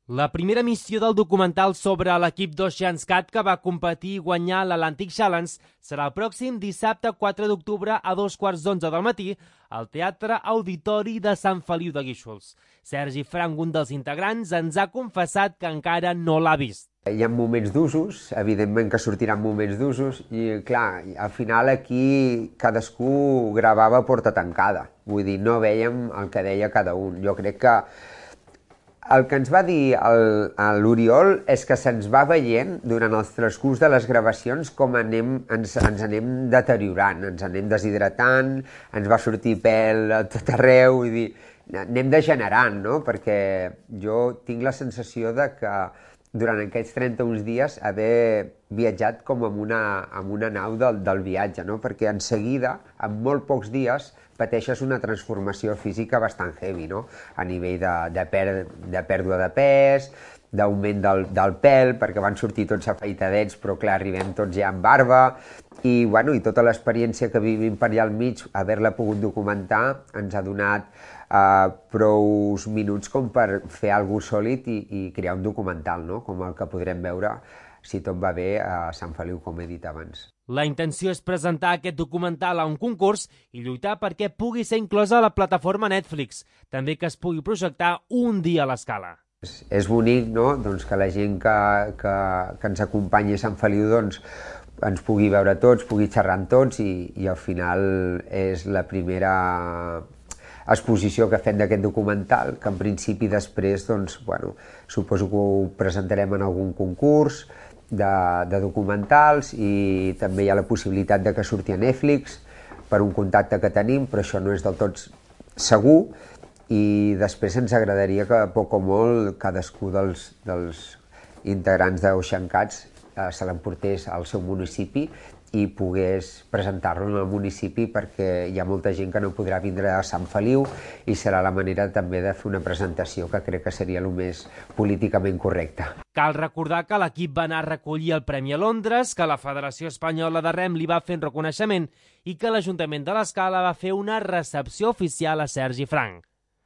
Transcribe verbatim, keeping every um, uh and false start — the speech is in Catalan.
La primera missió del documental sobre l'equip d'OceansCat que va competir i guanyar l'Atlantic Challenge serà el pròxim dissabte quatre d'octubre a dos quarts d'onze del matí al Teatre Auditori de Sant Feliu de Guíxols. Sergi Frank, un dels integrants, ens ha confessat que encara no l'ha vist. Hi ha moments d'usos, evidentment que sortiran moments d'usos, i clar, al final aquí cadascú gravava a porta tancada. Vull dir, no veiem el que deia cada un. Jo crec que el que ens va dir l'Oriol és que se'ns va veient durant el transcurs de les gravacions com anem, ens, ens anem deteriorant, ens anem deshidratant, ens va sortir pèl a tot arreu, vull dir, anem degenerant, no? Perquè jo tinc la sensació de que durant aquests trenta-un dies haver viatjat com amb una, amb una nau del, del viatge, no? Perquè en seguida, en molt pocs dies, pateixes una transformació física bastant heavy, no? A nivell de, de, per, de pèrdua de pes, d'augment del, del pèl, perquè van sortir tots afeitadets, però clar, arribem tots ja amb barba, i, bueno, i tota l'experiència que vivim per allà al mig, haver-la pogut documentar, ens ha donat uh, prou minuts com per fer alguna cosa sòlid i, i crear un documental, no? Com el que podrem veure, si tot va bé, a Sant Feliu, com he dit abans. La intenció és presentar aquest documental a un concurs i lluitar perquè pugui ser inclosa a la plataforma Netflix, també que es pugui projectar un dia a l'Escala. És, és bonic, no?, doncs, que la gent que, que, que ens acompanyi a Sant Feliu doncs, ens pugui veure tots, pugui xerrar amb tots i, i al final és la primera exposició que fem d'aquest documental, que en principi després, doncs, bueno, suposo que ho presentarem en algun concurs de, de documentals i també hi ha la possibilitat de que surti a Netflix per un contacte que tenim, però això no és del tot segur, i després ens agradaria que, poc o molt, cadascú dels, dels integrants d'OceanCats eh, se l'emportés al seu municipi i pogués presentar-lo en el municipi, perquè hi ha molta gent que no podrà vindre a Sant Feliu i serà la manera també de fer una presentació que crec que seria el més políticament correcte. Cal recordar que l'equip va anar a recollir el Premi a Londres, que la Federació Espanyola de Rem li va fer un reconeixement i que l'Ajuntament de l'Escala va fer una recepció oficial a Sergi Frank.